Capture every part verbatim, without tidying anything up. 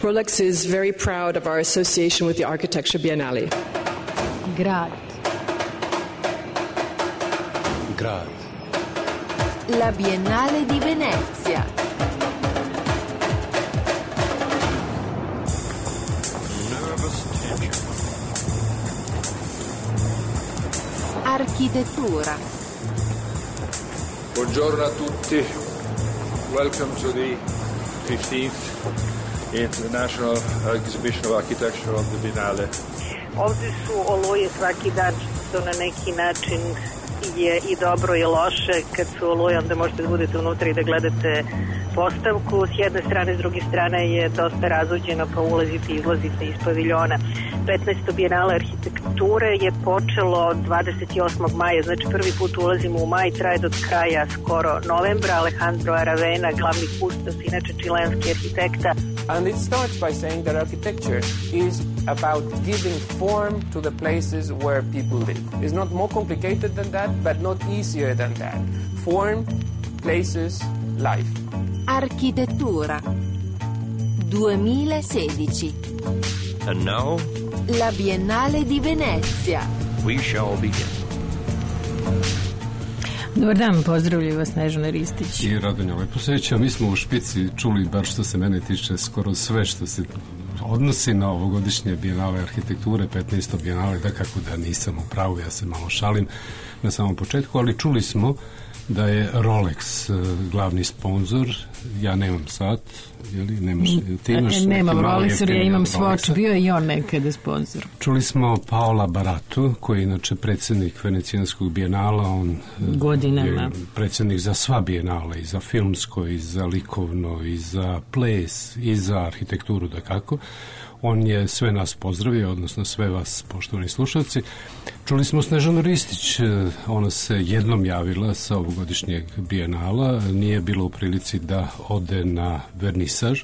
Rolex is very proud of our association with the Architecture Biennale. Grad. Grad. La Biennale di Venezia. Architettura. Buongiorno a tutti. Welcome to the fifteenth International Exhibition of Architecture of the Biennale. Ovdje su oluje svaki dan, što na neki način je i dobro i loše. Kad su oluje, onda možete da budete unutra i da gledate postavku. S jedne strane, s druge strane je dosta razuđeno, pa ulazite i izlazite iz paviljona. petnaesto Bijenale arhitekture je počelo dvadeset osmog maja, znači prvi put ulazimo u maj, traje do kraja skoro novembra. Alejandro Aravena, glavni kustos, inače čilenski arhitekta. And it starts by saying that architecture is about giving form to the places where people live. It's not more complicated than that, but not easier than that. Form, places, life. Architettura duemilasedici. And now, la Biennale di Venezia. We shall begin. Dobar dan, pozdravljaju vas Snežana Ristić i Radonja Leposeća. Mi smo u špici čuli, bar što se mene tiče, skoro sve što se odnosi na ovogodišnje Bijenale arhitekture, petnaesto Bijenale, da kako da nisam u pravu, ja se malo šalim na samom početku, ali čuli smo da je Rolex glavni sponzor. Ja nemam sat, jeli, nemaš, ti imaš e, nemam Rolex, ja imam Swatch, Swatch, bio je i on nekada sponzor. Čuli smo Paola Baratu, koji je inače predsjednik Venecijanskog bijenala, on godinama je predsjednik za sva bijenala, i za filmsko, i za likovno, i za ples, i za arhitekturu, da kako. On je sve nas pozdravio, odnosno sve vas, poštovani slušalci. Čuli smo Snežanu Ristić, ona se jednom javila sa ovogodišnjeg bijenala, nije bilo u prilici da ode na vernisaž.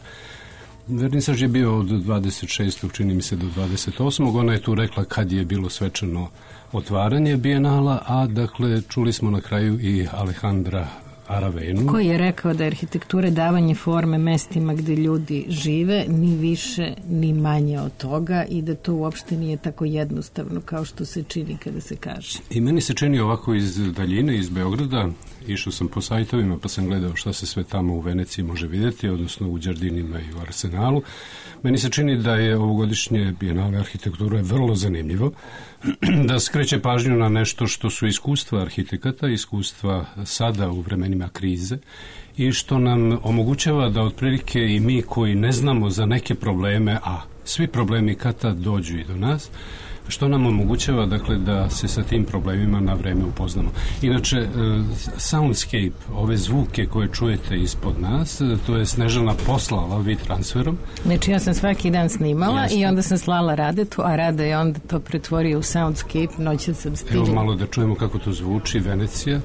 Vernisaž je bio od dvadeset šestog čini mi se do dvadeset osmog Ona je tu rekla kad je bilo svečano otvaranje bijenala, a dakle čuli smo na kraju i Alejandra Aravenu, koji je rekao da je arhitektura davanje forme mestima gde ljudi žive, ni više ni manje od toga, i da to uopšte nije tako jednostavno kao što se čini kada se kaže. I meni se čini ovako iz daljine, iz Beograda. Išao sam po sajtovima pa sam gledao šta se sve tamo u Veneciji može vidjeti, odnosno u Đardinima i u Arsenalu. Meni se čini da je ovogodišnje Bijenale arhitekture vrlo zanimljivo, da skreće pažnju na nešto što su iskustva arhitekata, iskustva sada u vremenima krize, i što nam omogućava da otprilike i mi koji ne znamo za neke probleme, a svi problemi kad tad dođu i do nas, što nam omogućava, dakle, da se sa tim problemima na vreme upoznamo. Inače, soundscape, ove zvuke koje čujete ispod nas, to je Snežana poslala vi transferom. Znači, ja sam svaki dan snimala. Jeste. I onda sam slala Radetu, a Rada je onda to pretvorio u soundscape, noćan sam stigla. Evo malo da čujemo kako to zvuči, Venecija.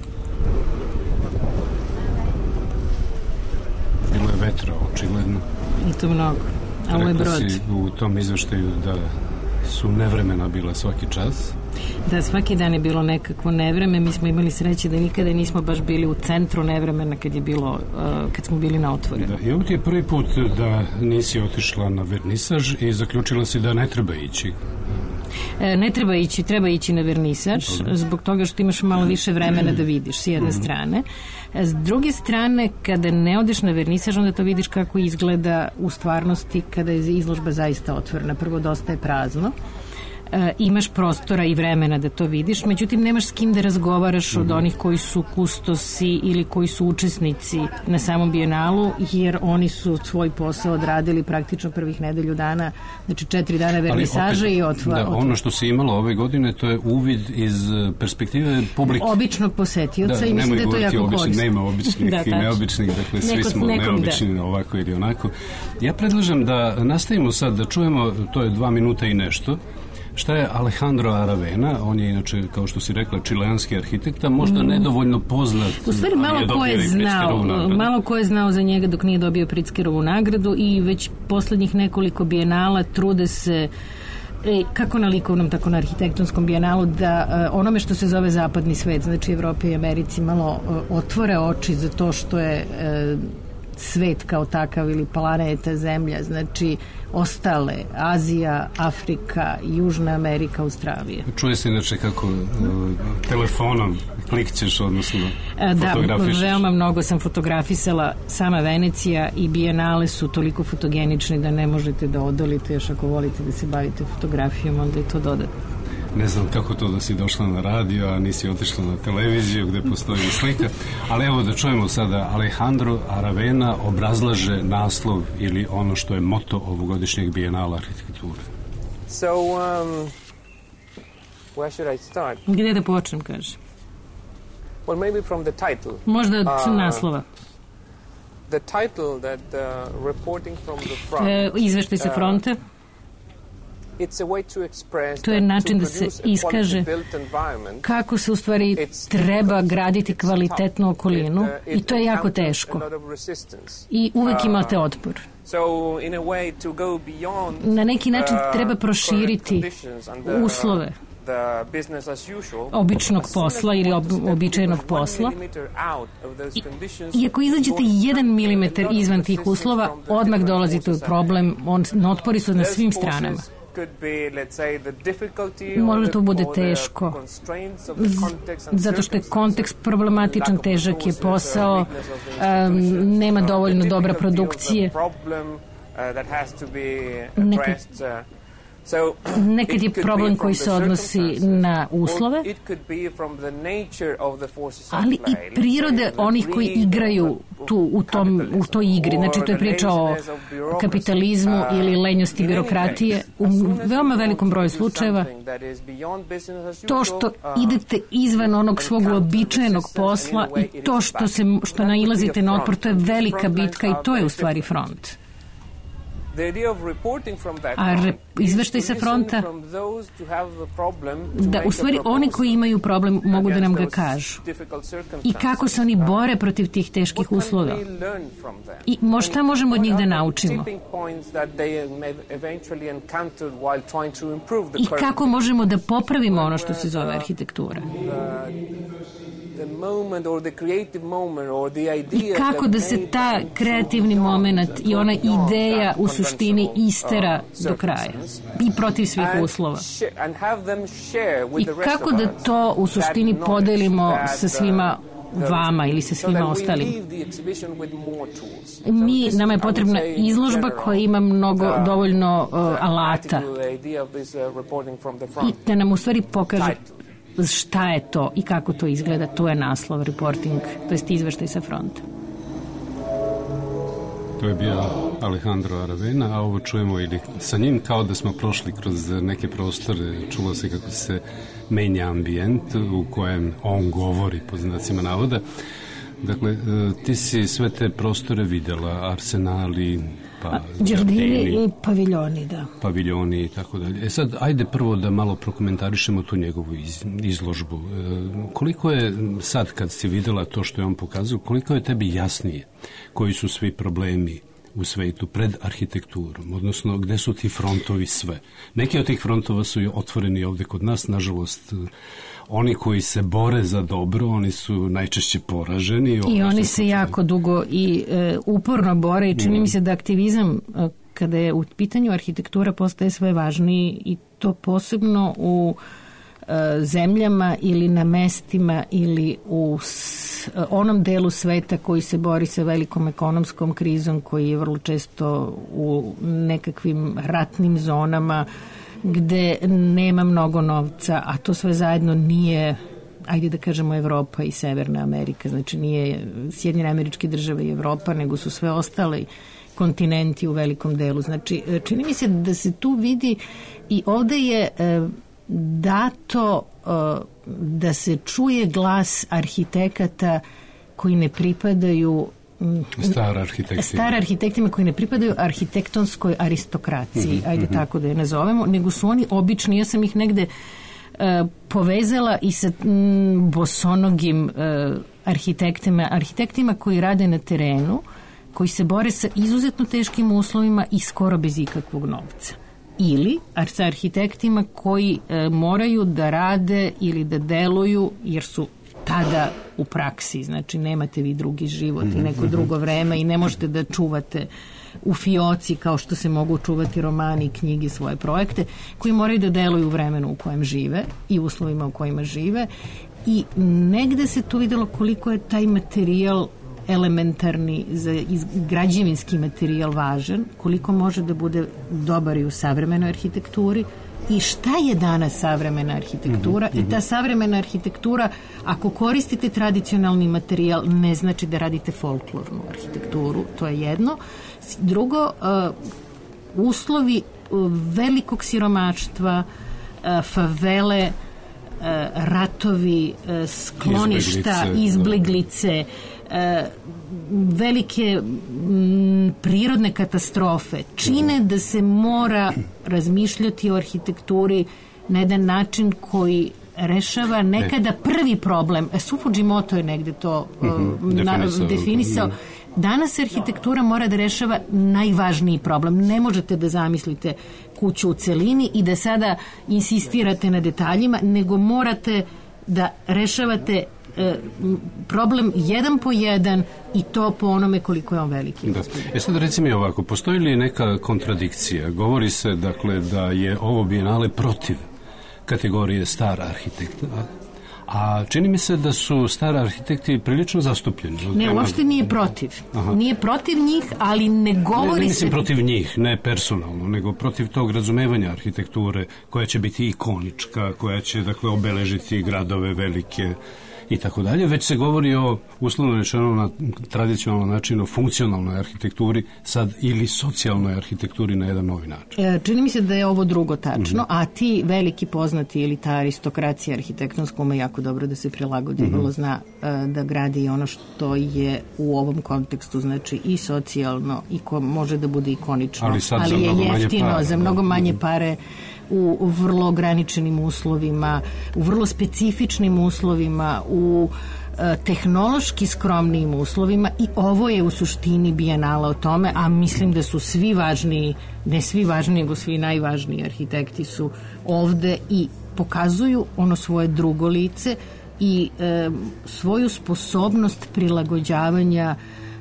Bilo je vetra, očigledno. I to mnogo. A ovo je brod. Rekla si u tom izveštaju da su nevremena bila svaki čas. Da, svaki dan je bilo nekakvo nevreme. Mi smo imali sreće da nikada nismo baš bili u centru nevremena kad je bilo, uh, kad smo bili na otvoru. Da, i ovo ti je prvi put da nisi otišla na vernisaž i zaključila si da ne treba ići. E, ne treba ići, treba ići na vernisaž, zbog toga što imaš malo više vremena da vidiš s jedne strane. S druge strane, kada ne odeš na vernisaž, onda to vidiš kako izgleda u stvarnosti kada je izložba zaista otvorena. Prvo, dosta je prazno. E, imaš prostora i vremena da to vidiš, međutim nemaš s kim da razgovaraš od onih koji su kustosi ili koji su učesnici na samom bijenalu, jer oni su svoj posao odradili praktično prvih nedelju dana, znači četiri dana vernisaža i otvora. Da, ono što se imalo ove godine, to je uvid iz perspektive publike. Običnog posetioca, da, i mislim da je to jako korisno. Nema običnih da, i neobičnih, dakle svi Neko, smo nekom, neobični da. Ovako ili onako. Ja predlažem da nastavimo sad da čujemo, to je dva minuta i nešto, šta je Alejandro Aravena. On je inače, kao što si rekla, čileanski arhitekta, možda nedovoljno poznat. U stvari malo ko je znao, malo ko je znao za njega dok nije dobio Pritzkerovu nagradu, i već poslednjih nekoliko bijenala trude se, e, kako na likovnom, tako na arhitektonskom bijenalu, da uh, onome što se zove zapadni svet, znači Evropi i Americi, malo uh, otvore oči za to što je uh, svet kao takav ili planeta Zemlja, znači ostale, Azija, Afrika, Južna Amerika, Australija. Čuje se inače kako uh, telefonom klikćeš, odnosno fotografišeš. Da, veoma mnogo sam fotografisala. Sama Venecija i Bijenale su toliko fotogenični da ne možete da odolite, još ako volite da se bavite fotografijom, onda je to dodatno. Ne znam kako to da si došla na radio, a nisi otišla na televiziju gde postoji slika, ali evo da čujemo sada. Alejandro Aravena obrazlaže naslov ili ono što je moto ovogodišnjeg Bijenala arhitekture. So, um, where should I start? Gde da počnem, kaže? Well, maybe from the title. Možda od uh, naslova. The title that uh, reporting from the front. E, izveštaj sa fronta. Uh, To je način da se iskaže kako se u stvari treba graditi kvalitetnu okolinu i to je jako teško. I uvek imate otpor. Na neki način treba proširiti uslove običnog posla ili ob, običajnog posla. I, I ako izađete jedan milimetar izvan tih uslova, odmah dolazite u problem, on, otpori su na svim stranama. Možda to bude teško zato što je kontekst problematičan, težak je posao, um, nema dovoljno dobra produkcije, nekad, nekad je problem koji se odnosi na uslove, ali i prirode onih koji igraju tu, u, tom, u toj igri. Znači, to je priča o kapitalizmu ili lenjosti birokratije. U veoma velikom broju slučajeva to što idete izvan onog svog uobičajenog posla i to što, se, što nailazite na otpor, to je velika bitka i to je u stvari front. A re, izveštaj sa fronta da u stvari oni koji imaju problem mogu da nam ga kažu i kako se oni bore protiv tih teških uslova i šta možemo od njih da naučimo i kako možemo da popravimo ono što se zove arhitektura i kako da se ta kreativni moment i ona ideja u suštini istera do kraja i protiv svih uslova i kako da to u suštini podelimo sa svima vama ili sa svima ostalim. Mi, nama je potrebna izložba koja ima mnogo dovoljno uh, alata i da nam u stvari pokaže šta je to i kako to izgleda. To je naslov reporting, to jest izveštaj sa fronta. To je bio Alejandro Aravena, a ovo čujemo ili sa njim kao da smo prošli kroz neke prostore, čulo se kako se menja ambijent u kojem on govori, po znacima navoda. Dakle, ti si sve te prostore videla, arsenali, pa Đardini i paviljoni, da. Paviljoni i tako dalje. E sad, ajde prvo da malo prokomentarišemo tu njegovu iz, izložbu. E, koliko je sad, kad si videla to što je on pokazao, koliko je tebi jasnije koji su svi problemi u svetu pred arhitekturom, odnosno gde su ti frontovi sve? Neki od tih frontova su otvoreni ovde kod nas, nažalost, oni koji se bore za dobro, oni su najčešće poraženi. I oni se jako dugo i e, uporno bore i čini mm. mi se da aktivizam e, kada je u pitanju arhitektura postaje sve važniji i to posebno u e, zemljama ili na mestima ili u s, e, onom delu sveta koji se bori sa velikom ekonomskom krizom, koji je vrlo često u nekakvim ratnim zonama gde nema mnogo novca, a to sve zajedno nije, ajde da kažemo, Evropa i Severna Amerika, znači nije Sjedinjene Američke Države i Evropa, nego su sve ostali kontinenti u velikom delu. Znači, čini mi se da se tu vidi i ovde je e, dato e, da se čuje glas arhitekata koji ne pripadaju Star arhitektima. Star arhitektima koji ne pripadaju arhitektonskoj aristokraciji, mm-hmm, ajde mm-hmm. tako da je nazovemo, nego su oni obični. Ja sam ih negde uh, povezala i sa mm, bosonogim uh, arhitektima, arhitektima koji rade na terenu, koji se bore sa izuzetno teškim uslovima i skoro bez ikakvog novca. Ili sa arhitektima koji uh, moraju da rade ili da deluju, jer su tada u praksi, znači nemate vi drugi život i neko drugo vreme i ne možete da čuvate u fioci kao što se mogu čuvati romani i knjige, svoje projekte koji moraju da deluju u vremenu u kojem žive i uslovima u kojima žive i negde se tu videlo koliko je taj materijal elementarni, za građevinski materijal važan, koliko može da bude dobar i u savremenoj arhitekturi i šta je danas savremena arhitektura mm-hmm. i ta savremena arhitektura, ako koristite tradicionalni materijal, ne znači da radite folklornu arhitekturu, to je jedno. Drugo, uh, uslovi uh, velikog siromaštva, uh, favele, uh, ratovi, uh, skloništa, izbeglice, izbeglice uh, velike m, prirodne katastrofe čine da se mora razmišljati o arhitekturi na jedan način koji rešava nekada prvi problem. Su Fujimoto je negde to mm-hmm. na, definisao. definisao. Danas arhitektura mora da rešava najvažniji problem. Ne možete da zamislite kuću u celini i da sada insistirate na detaljima, nego morate da rešavate e, problem jedan po jedan i to po onome koliko je on veliki. Da. E sad reci mi ovako, postoji li neka kontradikcija? Govori se dakle da je ovo bijenale protiv kategorije star arhitekta, a čini mi se da su stari arhitekti prilično zastupljeni. Ne, uopšte nije protiv. Aha. Nije protiv njih, ali ne govori se... Ne, ne mislim se... protiv njih, ne personalno, nego protiv tog razumevanja arhitekture koja će biti ikonička, koja će, dakle, obeležiti gradove velike i tako dalje, već se govori o, uslovno rečeno na tradicionalnom načinu, funkcionalnoj arhitekturi sad ili socijalnoj arhitekturi na jedan novi način. E, čini mi se da je ovo drugo tačno, mm-hmm. a ti veliki poznati elita aristokracija arhitektonska ume jako dobro da se prilagodi, mm-hmm. vrlo zna e, da gradi ono što je u ovom kontekstu, znači i socijalno i ko može da bude ikonično, ali, sad ali je jeftino, pare, za mnogo manje pare, u, u vrlo ograničenim uslovima, u vrlo specifičnim uslovima, u e, tehnološki skromnim uslovima i ovo je u suštini bijenala o tome, a mislim da su svi važniji, ne svi važniji, nego svi najvažniji arhitekti su ovde i pokazuju ono svoje drugo lice i e, svoju sposobnost prilagođavanja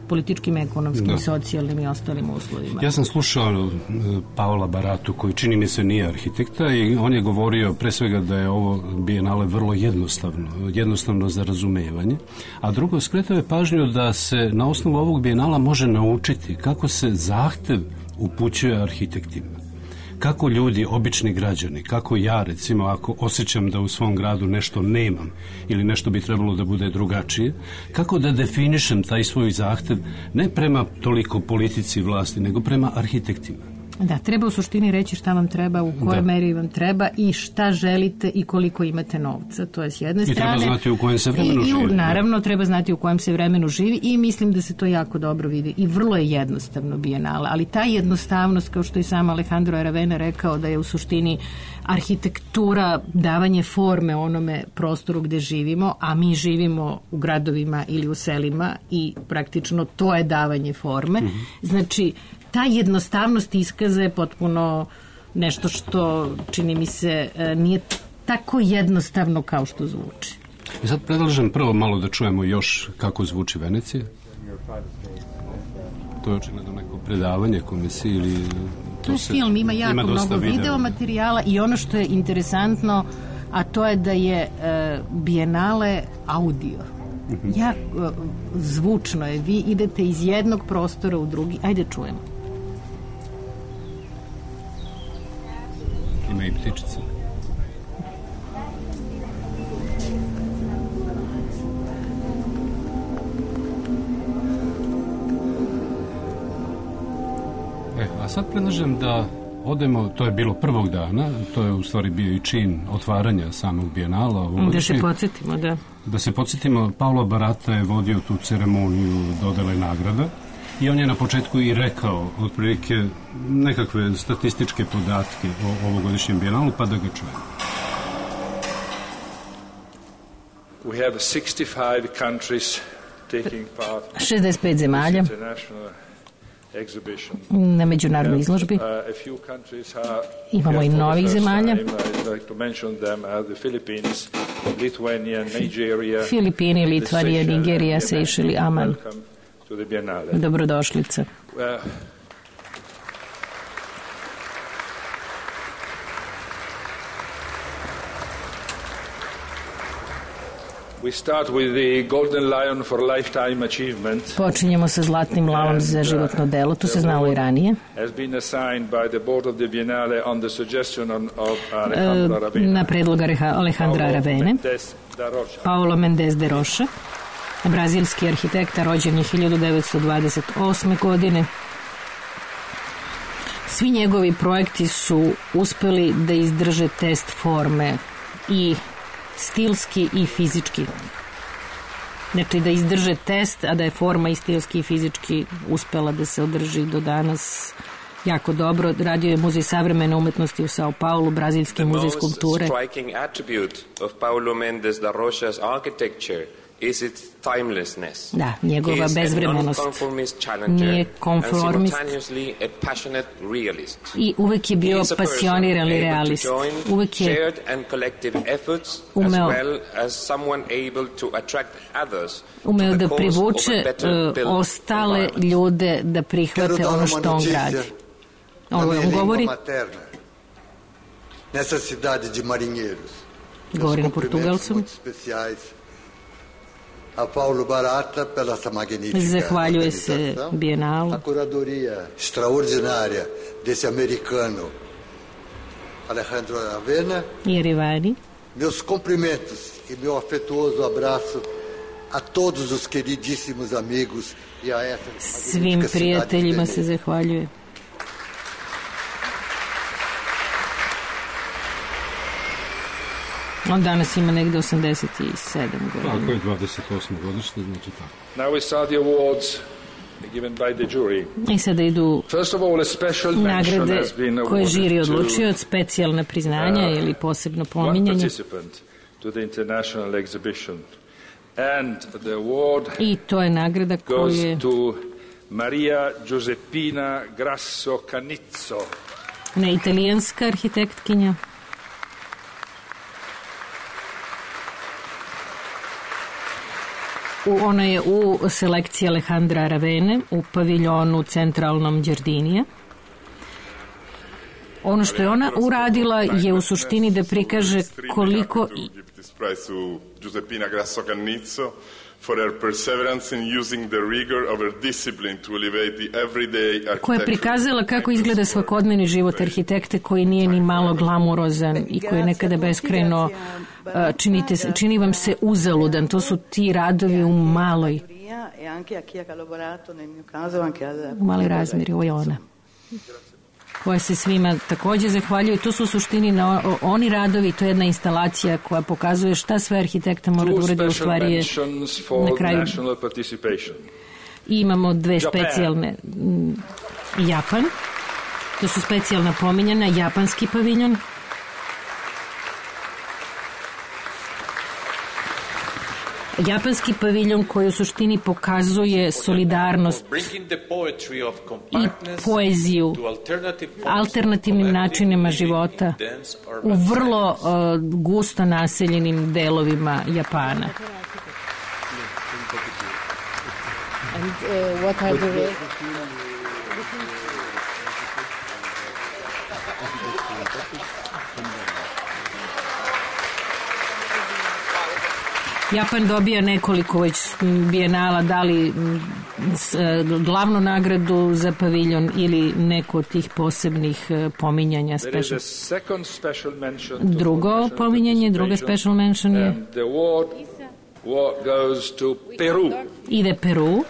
političkim, ekonomskim, da. socijalnim i ostalim uslovima. Ja sam slušao Paola Baratu, koji čini mi se nije arhitekta, i on je govorio pre svega da je ovo bijenale vrlo jednostavno, jednostavno za razumevanje, a drugo, skretao je pažnju da se na osnovu ovog bijenala može naučiti kako se zahtev upućuje arhitektima. Kako ljudi, obični građani, kako ja recimo ako osjećam da u svom gradu nešto nemam ili nešto bi trebalo da bude drugačije, kako da definišem taj svoj zahtev ne prema toliko politici vlasti, nego prema arhitektima. Da, treba u suštini reći šta vam treba, u kojoj da. meri vam treba i šta želite i koliko imate novca. To je s jedne I strane. I treba znati u kojem se vremenu I, živi. I, naravno, da. treba znati u kojem se vremenu živi i mislim da se to jako dobro vidi. I vrlo je jednostavno bijenale. Ali ta jednostavnost, kao što i sam Alejandro Aravena rekao, da je u suštini arhitektura davanje forme onome prostoru gde živimo, a mi živimo u gradovima ili u selima i praktično to je davanje forme. Mm-hmm. Znači, ta jednostavnost iskaza je potpuno nešto što, čini mi se, nije tako jednostavno kao što zvuči. I sad predlažem prvo malo da čujemo još kako zvuči Venecija. To je očigledno neko predavanje komisije ili... To je film, ima jako ima mnogo video materijala i ono što je interesantno, a to je da je uh, bijenale audio. Mm-hmm. Ja, uh, zvučno je, vi idete iz jednog prostora u drugi, ajde čujemo. Ima i ptičice. E, a sad predlažem da odemo, to je bilo prvog dana, to je u stvari bio i čin otvaranja samog bijenala. Da se podsjetimo, da. Da se podsjetimo, Paolo Barata je vodio tu ceremoniju dodele nagrada i on je na početku i rekao otprilike nekakve statističke podatke o ovogodišnjem bijenalu, pa da ga čujemo. We have sixty-five countries taking part šezdeset pet zemalja na međunarodnoj izložbi. Imamo i novih zemalja. Filipini, Litvanija, Nigerija, Sejšeli, Aman. Dobrodošlica. Počinjemo sa Zlatnim lavom za životno delo, to se znalo i ranije. Na predlog Alejandra Aravene, Paulo Mendes de Rocha, brazilski arhitekta, rođen je hiljadu devetsto dvadeset osme. godine. Svi njegovi projekti su uspeli da izdrže test forme i stilski i fizički. Znači da izdrže test, a da je forma i stilski i fizički uspela da se održi do danas jako dobro. Radio je Muzej savremene umetnosti u Sao Paulu, Brazilski muzej skulpture. The most striking attribute of Paulo Mendes da Rocha's architecture is its timelessness. Da, njegova bezvremenost. Nije konformist. I uvek je bio pasionirani realist. Uvek je umeo, umeo da privuče uh, ostale ljude da prihvate ono što on gradi. Ovo on govori. Govori na portugalskom. A Paulo Barata pela essa magnífica zahvaljuje se Bijenalu. A curadoria extraordinária desse americano Alejandro Aravena. I Arivani. Meus cumprimentos e meu afetuoso abraço a todos os queridíssimos amigos e a essa svim prijateljima se zahvaljuje. On danas ima negde osamdeset sedam godina. Tako je, dvadeset osme godište, znači tako. Now we start the awards given by the jury. I sada idu First of all, a special mention nagrade has been koje žiri awarded odlučio, specijalna priznanja uh, ili posebno one pominjanje. participant to the international exhibition. And the award I to je nagrada goes koju je to Maria Giuseppina Grasso Canizzo. ona italijanska arhitektkinja. U, ona je u selekciji Alejandra Aravene u paviljonu centralnom Đardinija. Ono što je ona uradila je u suštini da prikaže koliko Giuseppina Grasso Canizzo for her perseverance in using the rigor of her discipline to elevate the everyday architecture. Koja je prikazala kako izgleda svakodnevni život arhitekte koji nije ni malo glamurozan i koji je nekada beskrajno činite, čini vam se uzaludan. To su ti radovi u maloj u maloj razmjeri. Ovo je ona koja se svima takođe zahvaljuje. To su u suštini na, o, oni radovi, to je jedna instalacija koja pokazuje šta sve arhitekta mora da uradi, u stvari je na kraju. I imamo dve specijalne. Japan, to su specijalna pominjena, japanski paviljon. Japanski paviljon koji u suštini pokazuje solidarnost i poeziju alternativnim načinima života u vrlo uh, gusto naseljenim delovima Japana. And, uh, what are the... Japan dobija nekoliko već bijenala, da li glavnu nagradu za paviljon ili neko od tih posebnih pominjanja. Drugo pominjanje, druga special mention je ide Peru.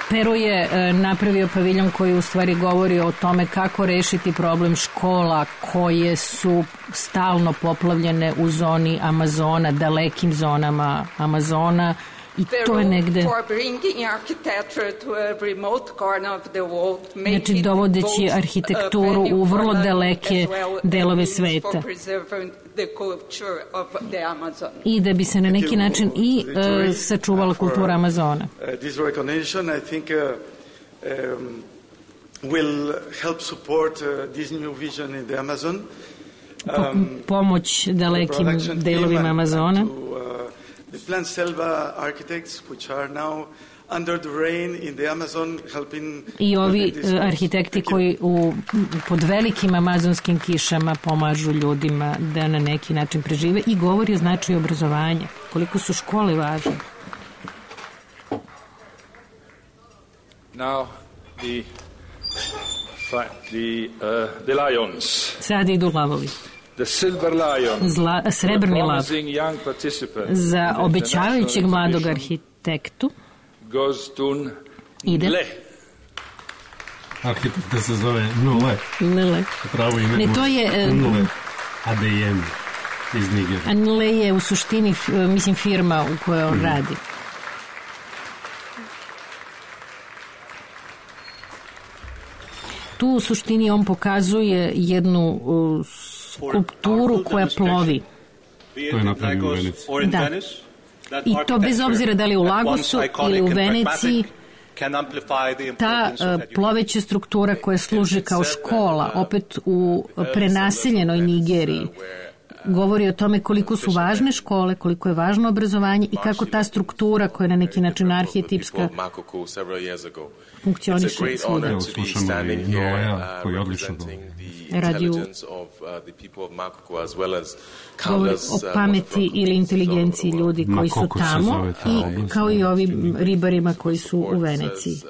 Peru je napravio paviljon koji u stvari govori o tome kako rešiti problem škola koje su stalno poplavljene u zoni Amazona, dalekim zonama Amazona I to je negde, znači dovodeći arhitектuru u vrlo daleke delove sveta. I da bi se na neki način i uh, sačuvala kultura Amazona. This recognition, I think, uh, um, will help support uh, this new vision in the Amazon. Um, Pomoć dalekim delovima Amazona. To, uh, the Plan Selva architects, which are now under the rain in the Amazon, helping. I ovi arhitekti koji u, pod velikim amazonskim kišama pomažu ljudima da na neki način prežive i govori o značaju obrazovanja. Koliko su škole važne. Now the the uh, the lions. Sad idu lavovi. The silver lion. Zla, srebrni lav. Za obećavajućeg mladog arhitektu ide. Arhitekta se zove Nule. Nule. Pravo ime. Ne, to je Nule. A D M iz Nigerije. Nule je u suštini, mislim, firma u kojoj on mm. radi. Tu u suštini on pokazuje jednu uh, skulpturu koja plovi. To je napravio u Veneciji. Da. I to bez obzira da li u Lagosu ili u Veneciji, ta uh, ploveća struktura koja služi kao škola, opet u prenaseljenoj Nigeriji, govori o tome koliko su važne škole, koliko je važno obrazovanje i kako ta struktura koja je na neki način arhetipska funkcioniše svuda. Evo slušamo i Noea koji je odlično radi u govori o pameti ili inteligenciji ljudi koji su tamo i kao i ovim ribarima koji su u Veneciji.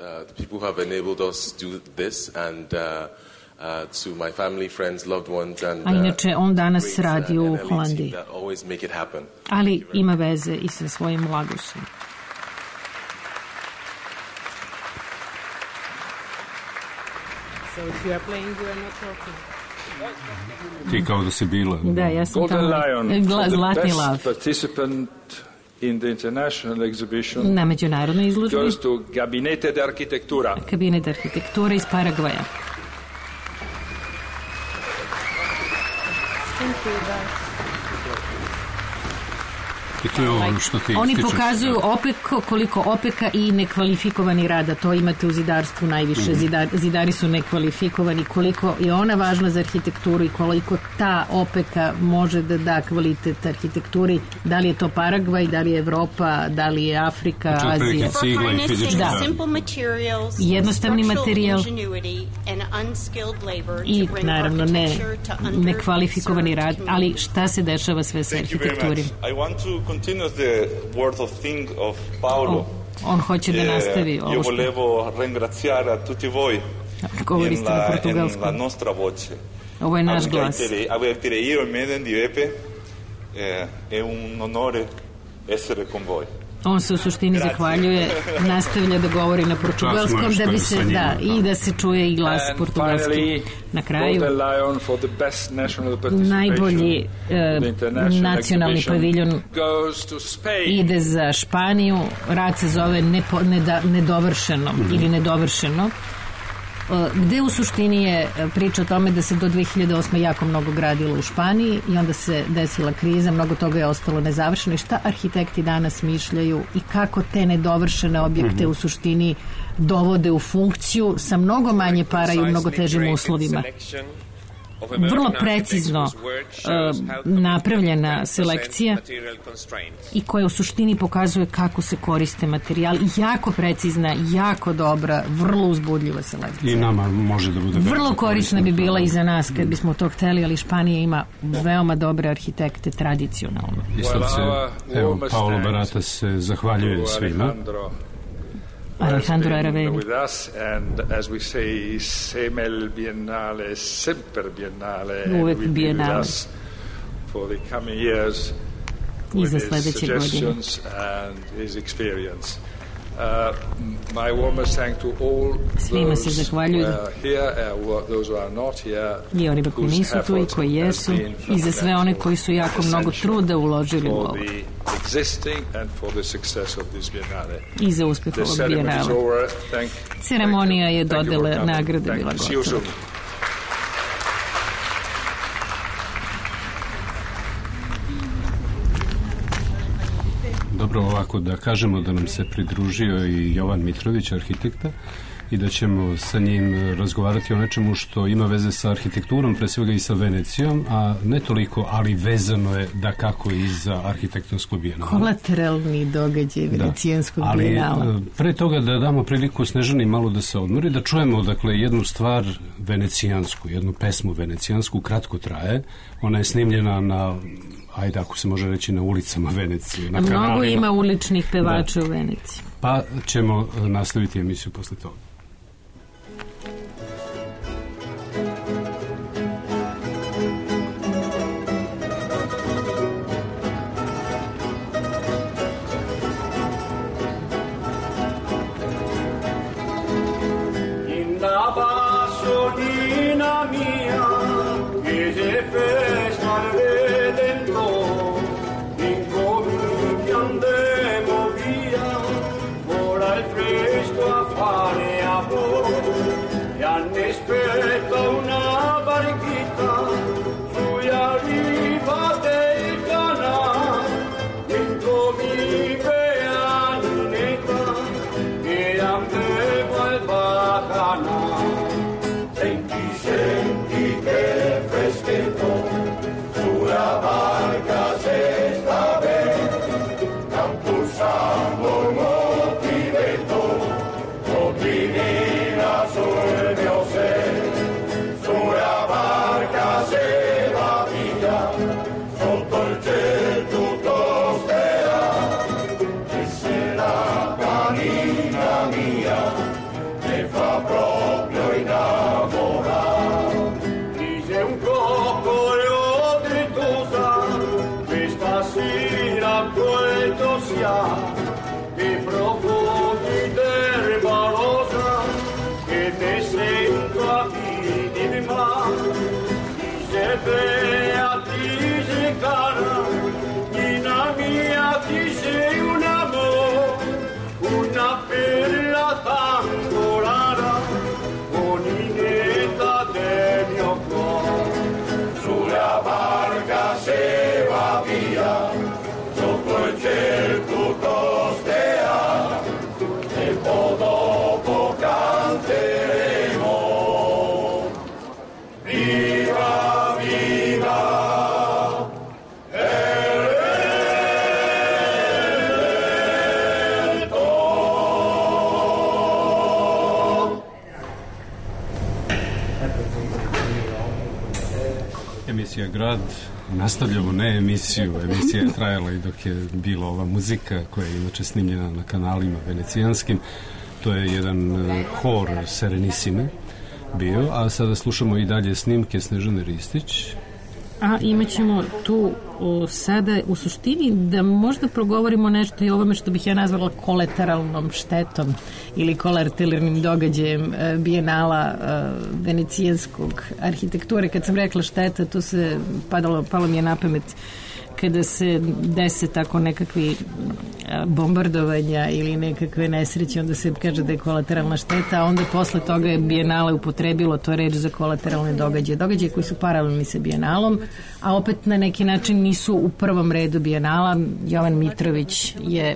Uh, to my family, friends, loved ones, and, uh, a inače on danas radi u Holandiji, ali ima veze i sa svojim Lagosom. So if you are playing, you are not talking. Ti kao da si bila. Da, ja sam tamo. Zlatni lav. In the international exhibition, na međunarodnoj izložbi goes to Gabinete de Arquitectura. Kabinet de Arquitectura iz Paragvaja. Oni pokazuju opek, koliko opeka i nekvalifikovani rada, to imate u zidarstvu najviše. Zidar, zidari su nekvalifikovani, koliko je ona važna za arhitekturu i koliko ta opeka može da da kvalitet arhitekturi, da li je to Paragvaj, da li je Evropa, da li je Afrika, Azija. Da. Jednostavni materijal i naravno ne nekvalifikovani rad, ali šta se dešava sve sa arhitekturi? Continues the word of thing of Paolo. On hoće da nastavi ovo. Io volevo ringraziare a tutti voi. Govori ste na portugalskom. La nostra voce. Ovo je naš glas. Avertire io il Meden di Epe è un onore essere con voi. On se u suštini zahvaljuje, nastavlja da govori na portugalskom da bi se, da, i da se čuje i glas portugalski. Na kraju, najbolji uh, nacionalni paviljon ide za Španiju, rad se zove nepo, neda, nedovršeno mm-hmm. ili nedovršeno, gde u suštini je priča o tome da se do dve hiljade osme jako mnogo gradilo u Španiji i onda se desila kriza, mnogo toga je ostalo nezavršeno i šta arhitekti danas mišljaju i kako te nedovršene objekte mm-hmm. u suštini dovode u funkciju sa mnogo manje para i u mnogo težim uslovima. Vrlo precizno uh, napravljena selekcija i koja u suštini pokazuje kako se koriste materijali. Jako precizna, jako dobra, vrlo uzbudljiva selekcija. I nama može da bude vrlo korisna bi bila i za nas kad bismo to hteli, ali Španija ima veoma dobre arhitekte tradicionalno. I sad se, evo, Paolo Barata se zahvaljuje svima. Alejandro Araveni. With us, and as we say, semel biennale, semper biennale, uvek and biennale. With us for the coming years I za sledeće godine. And his experience. Uh, my warmest thank to all Svima se those zahvaljuju who are here, uh, those who are not here, i onima koji nisu tu i koji jesu, i za sve one koji su jako mnogo truda uložili u ovo i za uspeh ovog bijenala. Ceremonija je dodele nagrade bila gotova. Dobro, ovako da kažemo da nam se pridružio i Jovan Mitrović, arhitekta, i da ćemo sa njim razgovarati o nečemu što ima veze sa arhitekturom, pre svega i sa Venecijom, a ne toliko, ali vezano je da kako i za arhitektonsku bijenala. Kolateralni događaj venecijanskog ali, bijenala. Ali pre toga da damo priliku Snežani malo da se odmori, da čujemo dakle jednu stvar venecijansku, jednu pesmu venecijansku, kratko traje. Ona je snimljena na, ajde ako se može reći, na ulicama Venecije, na kanalima. Mnogo ima uličnih pevača u Veneciji. Pa ćemo nastaviti emisiju posle toga. Emisija Grad, nastavljamo ne emisiju, emisija je trajala i dok je bila ova muzika koja je inače snimljena na kanalima venecijanskim. To je jedan hor Serenissime bio, a sada slušamo i dalje snimke Snežane Ristić. A imat ćemo tu o, sada u suštini da možda progovorimo nešto i ovome što bih ja nazvala kolateralnom štetom ili kolateralnim događajem e, bijenala e, venecijanskog arhitekture. Kad sam rekla šteta, to se padalo, palo mi je na pamet kada se dese tako nekakvi bombardovanja ili nekakve nesreće, onda se kaže da je kolateralna šteta, a onda posle toga je bijenale upotrebilo to reč za kolateralne događaje. Događaje koji su paralelni sa bijenalom, a opet na neki način nisu u prvom redu bijenala. Jovan Mitrović je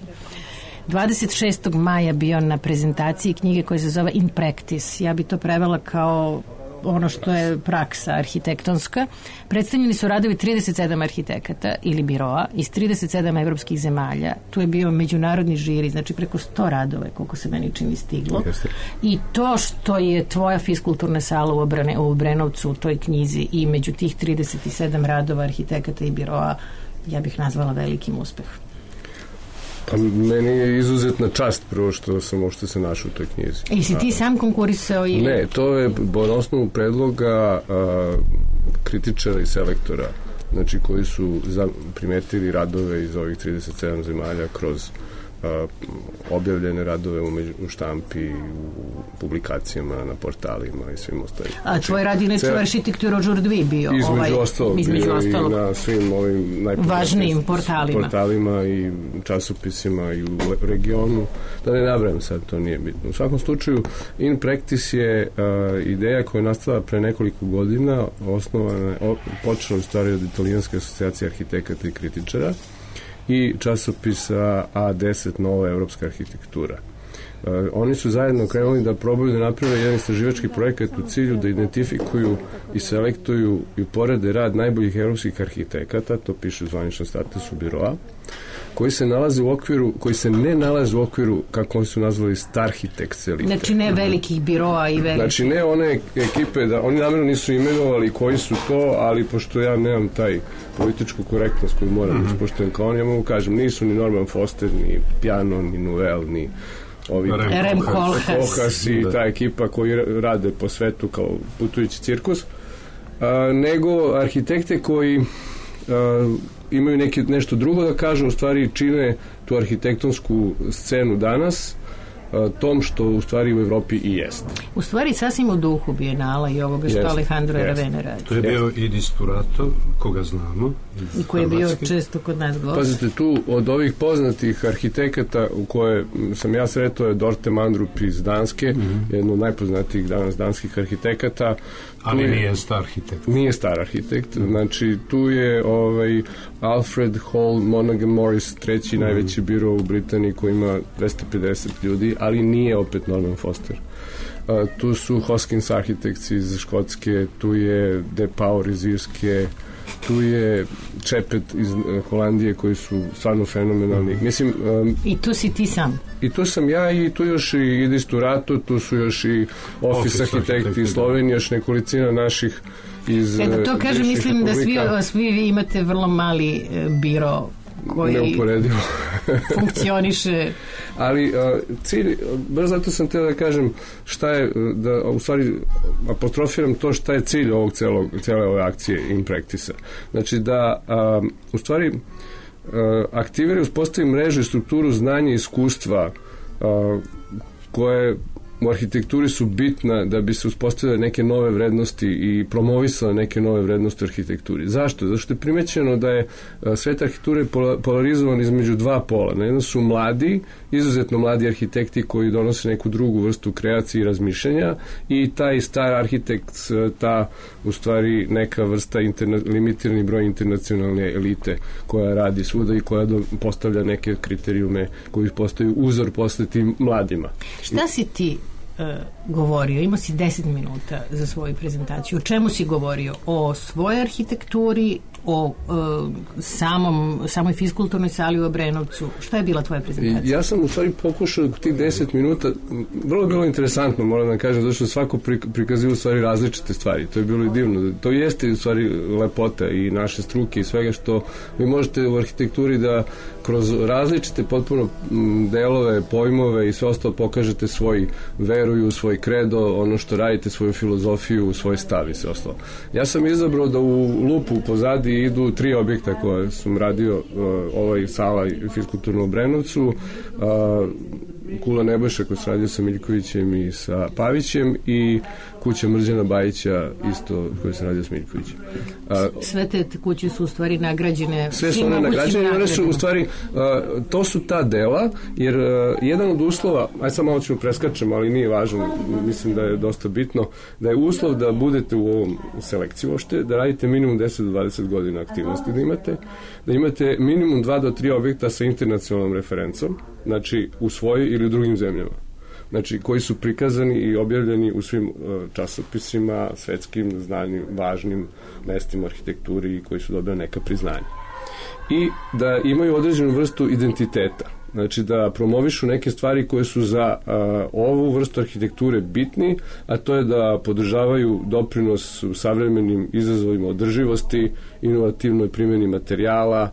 dvadeset šestog maja bio na prezentaciji knjige koja se zove In Practice. Ja bi to prevela kao ono što je praksa arhitektonska. Predstavljeni su radovi trideset sedam arhitekata ili biroa iz trideset sedam evropskih zemalja. Tu je bio međunarodni žiri, znači preko sto radova, koliko se meni čini stiglo. Jeste. I to što je tvoja fiskulturna sala u, Obrane, u Obrenovcu u toj knjizi i među tih trideset sedam radova arhitekata i biroa, ja bih nazvala velikim uspehom. Pa meni je izuzetna čast prvo što sam uopšte se našao u toj knjizi. I si ti sam konkurisao? I... Ne, to je na osnovu predloga a, kritičara i selektora, znači koji su za, primetili radove iz ovih trideset sedam zemalja kroz a, objavljene radove u, među, u štampi, u publikacijama, na portalima i svim ostalim. A tvoj rad inače u arhitekturu Đurdvi bio? Između ovaj, ostalog, između bio ostalog. i na svim ovim važnijim portalima. portalima i časopisima i u regionu. Da ne nabrajam sad, to nije bitno. U svakom slučaju, In Practice je a, ideja koja je nastala pre nekoliko godina, osnovana, o, počela u stvari od Italijanske asocijacije arhitekata i kritičara i časopisa A deset Nova evropska arhitektura. Uh, oni su zajedno krenuli da probaju da naprave jedan istraživački projekat u cilju da identifikuju i selektuju i uporede rad najboljih evropskih arhitekata, to piše u zvaničnom statusu biroa, koji se nalaze u okviru, koji se ne nalaze u okviru, kako oni su nazvali, starhitekt elite. Znači ne velikih biroa i velikih. Znači ne one ekipe, da oni namjerno nisu imenovali koji su to, ali pošto ja nemam taj političku korektnost koju moram mm-hmm. ispoštujem kao oni, ja mogu kažem, nisu ni Norman Foster, ni Piano, ni Nouvel, ni ovi Rem Koolhaas i ta ekipa koji rade po svetu kao putujući cirkus, a, nego arhitekte koji a, imaju neki, nešto drugo da kažu, u stvari čine tu arhitektonsku scenu danas a, tom što u stvari u Evropi i jeste. U stvari sasvim u duhu Bijenala i ovoga što jest, Alejandro Aravena radi. To je bio i Disturato, koga znamo. I koji je bio često kod nas gost. Pazite, tu od ovih poznatih arhitekata u koje sam ja sretao je Dorte Mandrup iz Danske, mm-hmm. jedno od najpoznatijih danas danskih arhitekata. Ali je, nije star arhitekt. Nije star arhitekt. Znači, tu je ovaj, Alfred Hall Monaghan Morris, treći mm. najveći biro u Britaniji koji ima dvesta pedeset ljudi, ali nije opet Norman Foster. Uh, tu su Hoskins Architects iz Škotske, tu je De Pauw iz Irske, tu je Čepet iz uh, Holandije koji su stvarno fenomenalni. Mislim, um, I tu si ti sam. I tu sam ja i tu još i Disturato, tu su još i Office Arhitekti iz Slovenije, još nekolicina naših iz... E da to kažem, mislim da svi, svi vi imate vrlo mali e, biro koji neuporedivo funkcioniše. Ali uh, cilj, baš zato sam teo da kažem šta je, da u stvari apostrofiram to šta je cilj ovog celog, cele ove akcije In Practice-a. Znači da uh, u stvari uh, aktivira i uspostavi mrežu i strukturu znanja i iskustva uh, koje u arhitekturi su bitna da bi se uspostavile neke nove vrednosti i promovisale neke nove vrednosti u arhitekturi. Zašto? Zato što je primećeno da je svet arhitekture polarizovan između dva pola. Na jedno su mladi, izuzetno mladi arhitekti koji donose neku drugu vrstu kreacije i razmišljanja i taj star arhitekt, ta u stvari neka vrsta interna, limitirani broj internacionalne elite koja radi svuda i koja do, postavlja neke kriterijume koji postaju uzor posle tim mladima. Šta si ti govorio? Imao si deset minuta za svoju prezentaciju. O čemu si govorio? O svojoj arhitектuri, o uh, samom, samoj fiskulturnoj sali u Obrenovcu. Šta je bila tvoja prezentacija? Ja sam u stvari pokušao tih deset minuta, vrlo je bilo interesantno, moram da kažem, zato što svako prikazio u stvari različite stvari. To je bilo i divno. To jeste u stvari lepota i naše struke i svega što vi možete u arhitekturi da kroz različite potpuno delove, pojmove i sve ostalo pokažete svoj veruju, svoj kredo, ono što radite, svoju filozofiju, svoj stav i sve ostalo. Ja sam izabrao da u lupu pozadi idu tri objekta koje sam radio, uh, ovaj sala fiskulturno u Obrenovcu, uh, Kula Nebojša koji se radio sa Miljkovićem i sa Pavićem i kuća Mrđana Bajića isto koji se radio sa Miljkovićem. A, sve te kuće su u stvari nagrađene. Sve su one nagrađene, one su u stvari a, to su ta dela, jer a, jedan od uslova, aj sad malo ćemo preskačemo, ali nije važno, mislim da je dosta bitno, da je uslov da budete u ovom selekciji uopšte, da radite minimum deset do dvadeset godina aktivnosti, da imate, da imate minimum dva do tri objekta sa internacionalnom referencom, znači u svojoj ili u drugim zemljama. Znači, koji su prikazani i objavljeni u svim uh, časopisima, svetskim, znanim, važnim mestima arhitekturi i koji su dobili neka priznanja. I da imaju određenu vrstu identiteta. Znači, da promovišu neke stvari koje su za uh, ovu vrstu arhitekture bitni, a to je da podržavaju doprinos u savremenim izazovima održivosti, inovativnoj primjeni materijala,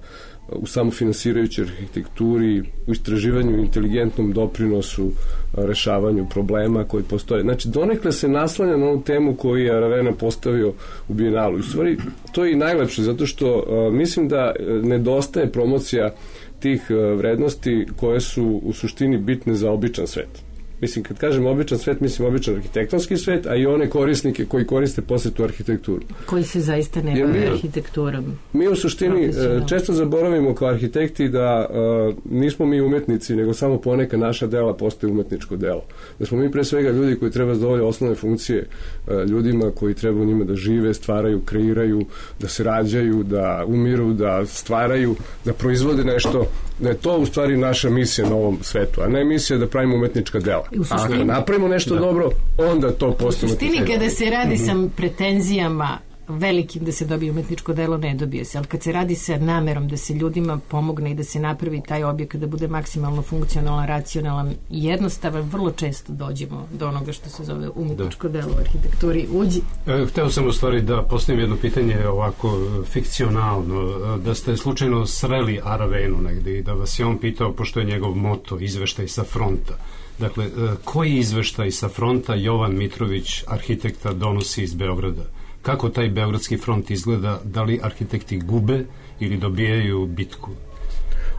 u samofinansirajućoj arhitekturi, u istraživanju, inteligentnom doprinosu, rešavanju problema koji postoje. Znači, donekle se naslanja na ovu temu koju je Aravena postavio u Bijenalu. U stvari, to je i najlepše, zato što uh, mislim da nedostaje promocija tih vrednosti koje su u suštini bitne za običan svet. Mislim, kad kažem običan svet, mislim običan arhitektonski svet, a i one korisnike koji koriste posle tu arhitekturu. Koji se zaista ne bave arhitekturom. Mi u suštini često zaboravimo kao arhitekti da uh, nismo mi umetnici, nego samo poneka naša dela postaje umetničko delo. Da smo mi pre svega ljudi koji treba zadovoljiti osnovne funkcije uh, ljudima koji treba u njima da žive, stvaraju, kreiraju, da se rađaju, da umiru, da stvaraju, da proizvode nešto, da je to u stvari naša misija na ovom svetu, a ne misija da pravimo umetnička dela. Ako napravimo nešto da. dobro, onda to postane. U suštini kada se radi mm-hmm. sa pretenzijama velikim da se dobije umetničko delo, ne dobije se, ali kad se radi sa namerom da se ljudima pomogne i da se napravi taj objekat da bude maksimalno funkcionalan, racionalan i jednostavan, vrlo često dođemo do onoga što se zove umetničko da. delo u arhitekturi. Uđi. E, hteo sam u stvari da postavim jedno pitanje ovako fikcionalno, da ste slučajno sreli Aravenu negde i da vas je on pitao, pošto je njegov moto izveštaj sa fronta. Dakle, koji izveštaj sa fronta Jovan Mitrović, arhitekta, donosi iz Beograda? Kako taj beogradski front izgleda? Da li arhitekti gube ili dobijaju bitku?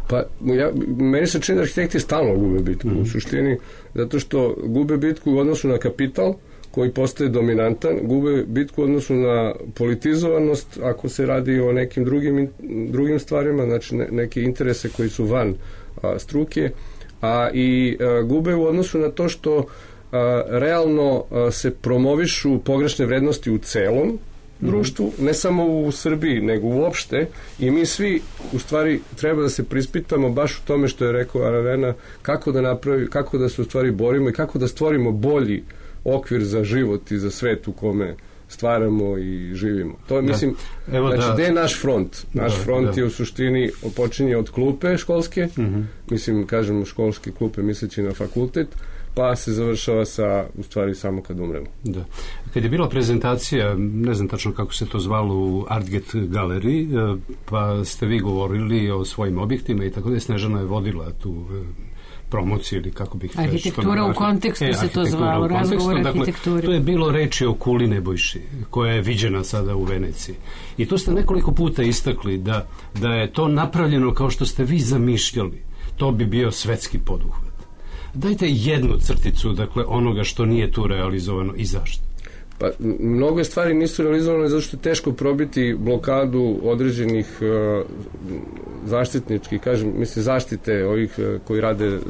Pa, ja, meni se čini da arhitekti stalno gube bitku mm-hmm. u suštini, zato što gube bitku u odnosu na kapital koji postaje dominantan, gube bitku u odnosu na politizovanost ako se radi o nekim drugim, drugim stvarima, znači ne, neke interese koji su van a, struke, a i a, gube u odnosu na to što a, realno a, se promovišu pogrešne vrednosti u celom mm-hmm. društvu, ne samo u Srbiji, nego uopšte, i mi svi u stvari treba da se prispitamo baš u tome što je rekao Aravena, kako da napravi, kako da se u stvari borimo i kako da stvorimo bolji okvir za život i za svet u kome stvaramo i živimo. To je, mislim, da. Evo znači, da. Gde je naš front? Naš da, front da. je u suštini počinje od klupe školske, mm-hmm. mislim, kažemo školske klupe misleći na fakultet, pa se završava sa, u stvari, samo kad umremo. Da. Kad je bila prezentacija, ne znam tačno kako se to zvalo, u Artget galeriji, pa ste vi govorili o svojim objektima i tako da je Snežana je vodila tu promociju ili kako bih... Arhitektura u kontekstu e, se to zvalo, razgovor arhitekture. Dakle, to je bilo reči o kuli Nebojši, koja je viđena sada u Veneciji. I to ste nekoliko puta istakli da, da je to napravljeno kao što ste vi zamišljali. To bi bio svetski poduhvat. Dajte jednu crticu, dakle, onoga što nije tu realizovano i zašto. Pa, mnogo stvari nisu realizovane zato što je teško probiti blokadu određenih uh, zaštitničkih, kažem, mislim, zaštite ovih uh, koji rade uh,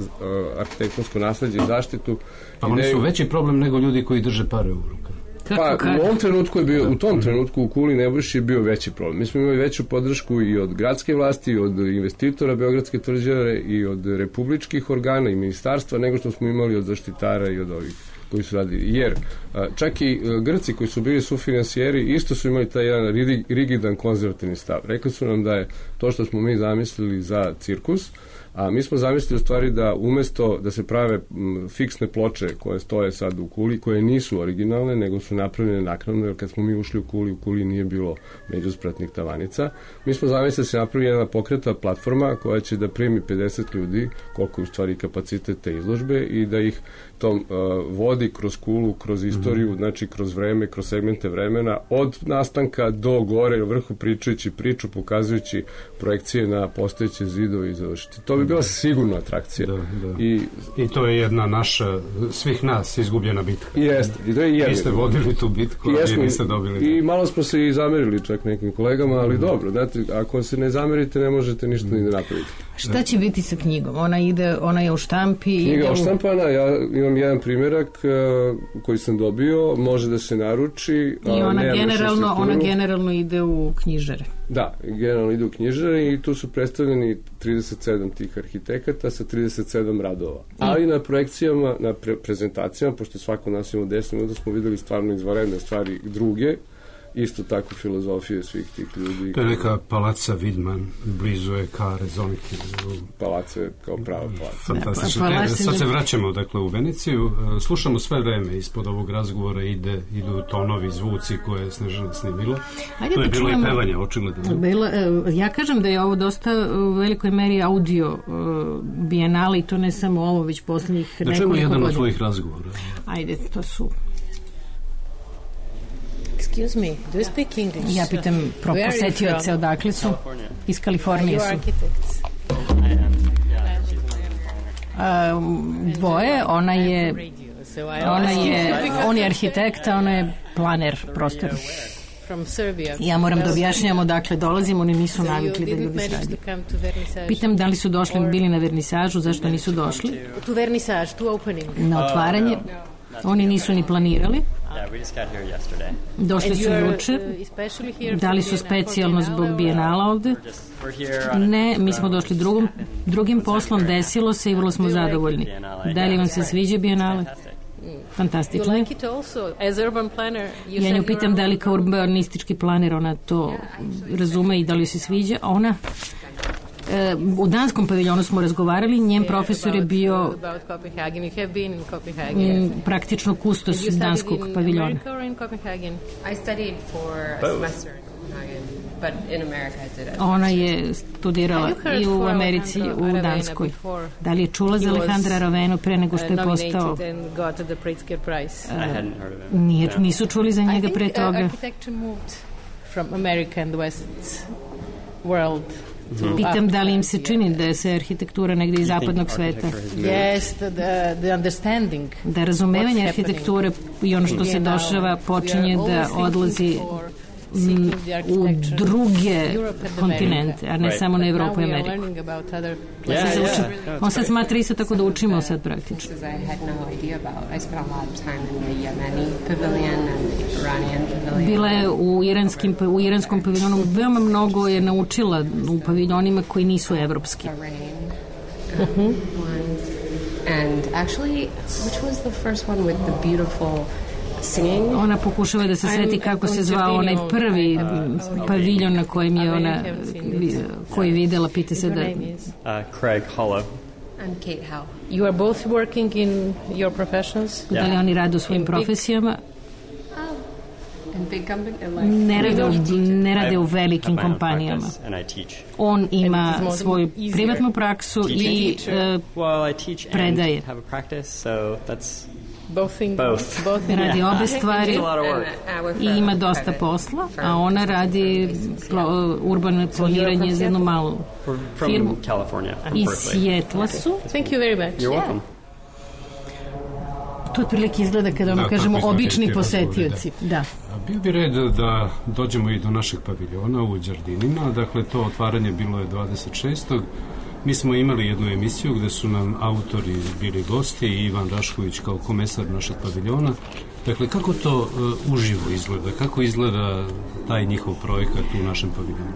arhitektonsko nasleđe i zaštitu. Pa oni su veći problem nego ljudi koji drže pare u rukama. Pa u ovom trenutku je bio, u tom trenutku u kuli Nebojši je bio veći problem. Mi smo imali veću podršku i od gradske vlasti, i od investitora Beogradske tvrđave, i od republičkih organa i ministarstva, nego što smo imali od zaštitara i od ovih koji su radili. Jer čak i Grci koji su bili sufinansijeri isto su imali taj jedan rigidan konzervativni stav. Rekli su nam da je to što smo mi zamislili za cirkus, a mi smo zamislili u stvari da umesto da se prave m, fiksne ploče koje stoje sad u kuli, koje nisu originalne, nego su napravljene naknadno, jer kad smo mi ušli u kuli, u kuli nije bilo međuspratnih tavanica. Mi smo zamislili da se napravi jedna pokreta platforma koja će da primi pedeset ljudi, koliko je u stvari kapacitet te izložbe, i da ih tom uh, vodi kroz kulu, kroz istoriju, mm-hmm. znači kroz vreme, kroz segmente vremena, od nastanka do gore, vrhu, pričajući priču, pokazujući projekcije na postojeće zidove i završiti. To bi bila sigurno atrakcija. Da, da. I, I to je jedna naša, svih nas, izgubljena bitka. Jeste. I to je jedna. Vi ste vodili tu bitku, a vi niste dobili. I malo smo se i zamerili čak nekim kolegama, ali mm-hmm. dobro, znate, ako se ne zamerite, ne možete ništa mm-hmm. ni da napraviti. Šta će biti sa knjigom? Ona ide, ona je u štampi. Knjiga je u štampana, ja imam jedan primjerak uh, koji sam dobio, može da se naruči. I ona generalno, ona generalno ide u knjižare. Da, generalno ide u knjižare i tu su predstavljeni trideset sedam tih arhitekata sa trideset sedam radova. Mm. Ali na projekcijama, na pre prezentacijama, pošto svako nas ima deset minuta, smo videli stvarno izvanredne stvari druge, isto tako filozofije svih tih ljudi. To je neka palaca Vidman, blizu je ka Rezoniki. Palaca je kao prava palaca. Fantastično. Ne, sad se vraćamo dakle u Veneciju. Slušamo sve vreme ispod ovog razgovora ide, idu tonovi, zvuci koje je Snežana snimila. Ajde to je da bilo čujemo, i pevanje, očigledno. Bila, ja kažem da je ovo dosta u velikoj meri audio uh, bijenale i to ne samo ovo, već posljednjih nekoliko godina. Da čujemo jedan od svojih razgovora. Ajde, to su... Excuse me, do you speak English? Ja pitam pro posetioce odakle su? Iz Kalifornije su. Are you architects? I am. Um, dvoje, ona je ona je, on je arhitekta, ona je planer prostora. Ja moram da objašnjamo, dakle, dolazim, oni nisu navikli da ljudi sradi. Pitam da li su došli, bili na vernisažu, zašto nisu došli? Tu vernisaž, tu opening. Na otvaranje. Oni nisu ni planirali. Došli su juče. Da li su specijalno zbog Bijenala ovde? Ne, mi smo došli drugom, drugim poslom, desilo se i vrlo smo zadovoljni. Da li vam se sviđa Bijenale? Fantastično. Ja nju pitam da li kao urbanistički planer ona to razume i da li se sviđa. Ona u danskom paviljonu smo razgovarali, njen profesor je bio m, praktično kustos danskog paviljona. Ona je studirala i u Americi, u Danskoj. Da li je čula za Alejandra Aravenu pre nego što je postao? Uh, nije, nisu čuli za njega pre toga. Pitam da li im se čini da je se arhitektura negde iz zapadnog sveta. Yes, the, the understanding. Da razumevanje arhitekture i ono što se dešava počinje da odlazi m, u druge kontinente, a ne samo na Evropu i Ameriku. On sad smatra isto tako da učimo sad praktično. Bila je u, iranskim, u iranskom paviljonu, veoma mnogo je naučila u paviljonima koji nisu evropski. Uh-huh. And actually, which was the first one with the beautiful singing? Ona pokušava da se seti kako se zvao onaj prvi paviljon na kojem je ona koji videla, pita se da... Uh, Craig Hollow. And Kate Howe. You are both working in your professions? Da li oni rade u svojim profesijama? Ne rade, u, ne rade u velikim kompanijama. On ima svoju privatnu praksu i uh, predaje. Radi obe stvari i ima dosta posla, a ona radi urbano planiranje za jednu malu firmu. Iz Sijetla su. Thank you very much. You're welcome. To otprilike izgleda kada ono kažemo obični posetioci. Da. Bio bi red da dođemo i do našeg paviljona u Đardinima. Dakle, to otvaranje bilo je dvadeset šestog Mi smo imali jednu emisiju gde su nam autori bili gosti i Ivan Rašković kao komesar našeg paviljona. Dakle, kako to uh, uživo izgleda? Kako izgleda taj njihov projekat u našem paviljonu?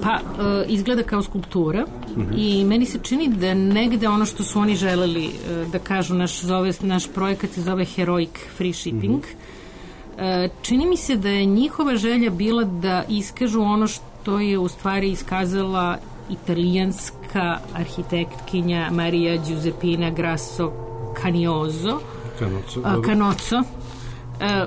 Pa, uh, izgleda kao skulptura uh-huh. i meni se čini da negde ono što su oni želeli uh, da kažu, naš, zove, naš projekat se zove Heroic Free Shipping. Uh-huh. Uh, čini mi se da je njihova želja bila da iskažu ono što je u stvari iskazala italijanska arhitektkinja Maria Giuseppina Grasso Caniozo Canozzo, Canozzo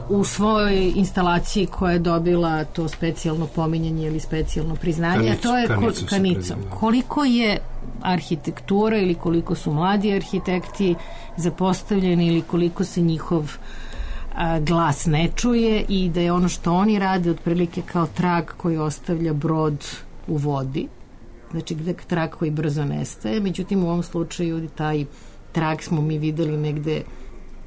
u svojoj instalaciji koja je dobila to specijalno pominjanje ili specijalno priznanje, a to je Canico. Koliko je arhitektura ili koliko su mladi arhitekti zapostavljeni ili koliko se njihov a, glas ne čuje i da je ono što oni rade otprilike kao trag koji ostavlja brod u vodi, znači gde trag koji brzo nestaje, međutim u ovom slučaju taj trag smo mi videli negde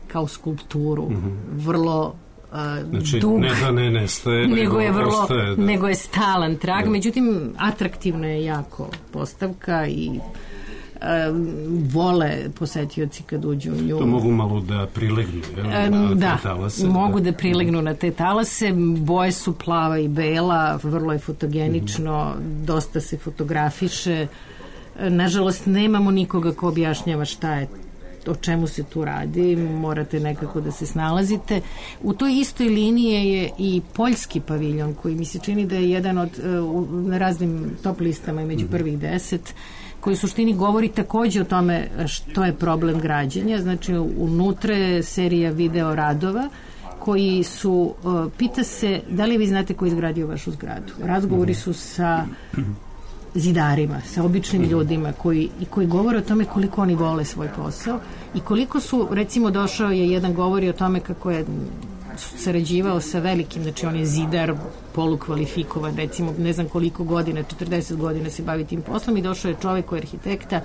kao skulpturu, mm-hmm. vrlo uh, znači, dug, ne da ne nestaje, nego, nego je vrlo, ostaje, da. nego je stalan trag, da. Međutim atraktivna je jako postavka i uh, vole posetioci kad uđu u nju. To mogu malo da prilegnu je, na da, te talase. Mogu da. da prilegnu na te talase, boje su plava i bela, vrlo je fotogenično, mm-hmm. dosta se fotografiše. Nažalost, nemamo nikoga ko objašnjava šta je, o čemu se tu radi, morate nekako da se snalazite. U toj istoj liniji je i poljski paviljon koji mi se čini da je jedan od na raznim top listama i među prvih deset, koji u suštini govori takođe o tome što je problem građenja. Znači, unutra je serija video radova koji su, pita se da li vi znate ko je izgradio vašu zgradu. Razgovori su sa zidarima, sa običnim ljudima koji, i koji govore o tome koliko oni vole svoj posao i koliko su, recimo došao je jedan govori o tome kako je sarađivao sa velikim, znači on je zidar polukvalifikovan, recimo ne znam koliko godina, četrdeset godina se bavi tim poslom i došao je čovek koji je arhitekta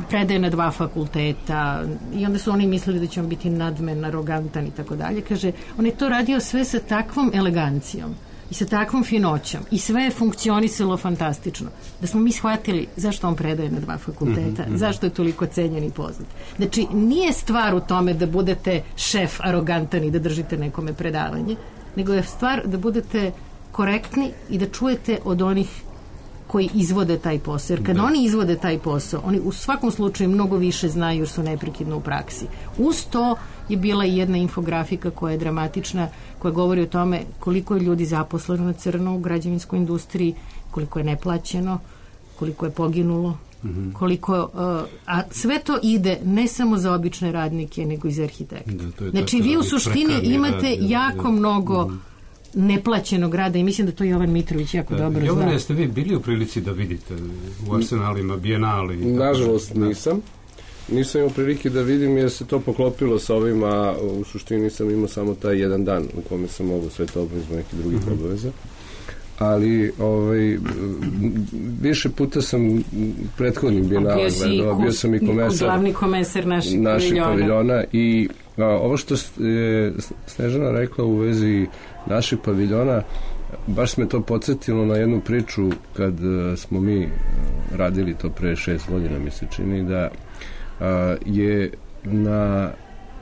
predaje na dva fakulteta i onda su oni mislili da će on biti nadmen, arogantan i tako dalje. Kaže, on je to radio sve sa takvom elegancijom i sa takvom finoćom i sve je funkcionisalo fantastično. Da smo mi shvatili zašto on predaje na dva fakulteta, mm-hmm. zašto je toliko cenjen i poznat. Znači, nije stvar u tome da budete šef arogantan i da držite nekome predavanje, nego je stvar da budete korektni i da čujete od onih koji izvode taj posao. Jer kad da. oni izvode taj posao, oni u svakom slučaju mnogo više znaju jer su neprekidno u praksi. Uz to je bila i jedna infografika koja je dramatična, koja govori o tome koliko je ljudi zaposleno na crno u građevinskoj industriji, koliko je neplaćeno, koliko je poginulo, mm-hmm. koliko, uh, a sve to ide ne samo za obične radnike, nego i za arhitekte. Da, to je znači, vi u suštini imate rad, jako da, mnogo mm. neplaćenog rada i mislim da to Jovan Mitrović jako da, dobro Jovane, zna. Jeste vi bili u prilici da vidite u Arsenalima, Bijenali? Nažalost nisam. Nisam imao prilike da vidim jer se to poklopilo sa ovima, u suštini sam imao samo taj jedan dan u kome sam mogu sve to obavez nekih drugih mm-hmm. obaveza. Ali ovaj, više puta sam prethodnim Bijenala gledao, bio sam i komesar, glavni komesar naših, naših paviljona. paviljona i a, ovo što je Snežana rekla u vezi naših paviljona, baš me to podsjetilo na jednu priču kad a, smo mi radili to pre šest godina, mi se čini da a, je na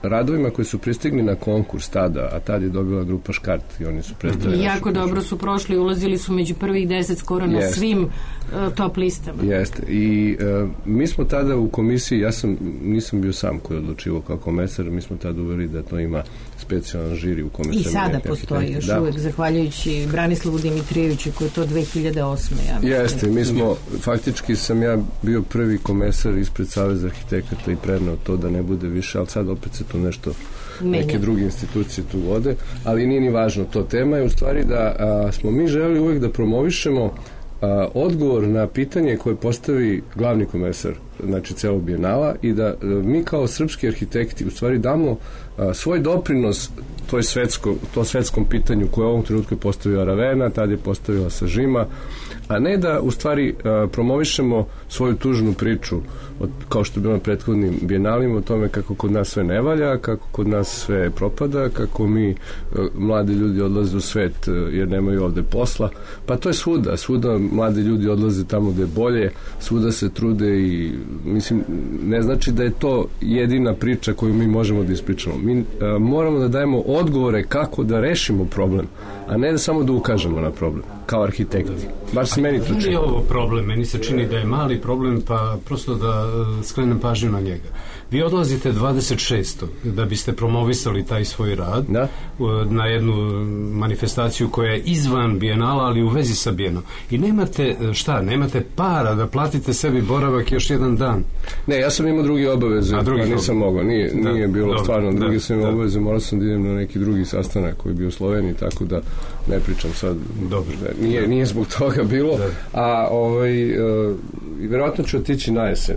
radovima koji su pristigli na konkurs tada, a tad je dobila grupa Škart i oni su predstavili. Jako dobro su prošli, ulazili su među prvih deset skoro na Jest. svim uh, top listama. Jeste. I uh, mi smo tada u komisiji, ja sam, nisam bio sam koji je odlučivao kao komesar, mi smo tada uveri da to ima specijalan žiri u kome I sada postoji još da. uvek, zahvaljujući Branislavu Dimitrijeviću koji je to dve hiljade osme. Ja Jeste, mi smo, faktički sam ja bio prvi komesar ispred Saveza arhitekata i preneo to da ne bude više, ali sad opet se to nešto Menja. neke druge institucije tu vode, ali nije ni važno to. Tema je u stvari da a, smo mi želi uvek da promovišemo a, odgovor na pitanje koje postavi glavni komesar, znači celog Bijenala, i da a, mi kao srpski arhitekti u stvari damo a, svoj doprinos toj svetsko, to svetskom pitanju koje u ovom trenutku je postavila Ravena, tad je postavila Sažima, a ne da u stvari a, promovišemo svoju tužnu priču od, kao što je bilo na prethodnim Bijenalima o tome kako kod nas sve ne valja, kako kod nas sve propada, kako mi a, mladi ljudi odlaze u svet a, jer nemaju ovde posla, pa to je svuda, svuda mladi ljudi odlaze tamo gde je bolje, svuda se trude i mislim, ne znači da je to jedina priča koju mi možemo da ispričamo. Mi a, moramo da dajemo odgovore kako da rešimo problem, a ne da samo da ukažemo na problem, kao arhitekti. Bar se meni to čini. Nije ovo problem, meni se čini da je mali problem, pa prosto da skrenem pažnju na njega. Vi odlazite dvadeset šestog da biste promovisali taj svoj rad da? na jednu manifestaciju koja je izvan Bijenala, ali u vezi sa Bijenom. I nemate, šta, nemate para da platite sebi boravak još jedan dan. Ne, ja sam imao drugi obaveze, a drugi nisam mogao. Nije, da, nije bilo dobro, stvarno. Drugi da, sam imao da. obaveze, morao sam da idem na neki drugi sastanak koji je bio u Sloveniji, tako da ne pričam sad. Dobro. Da, nije, nije zbog toga bilo. Da. A ovaj, uh, vjerojatno ću otići na jesen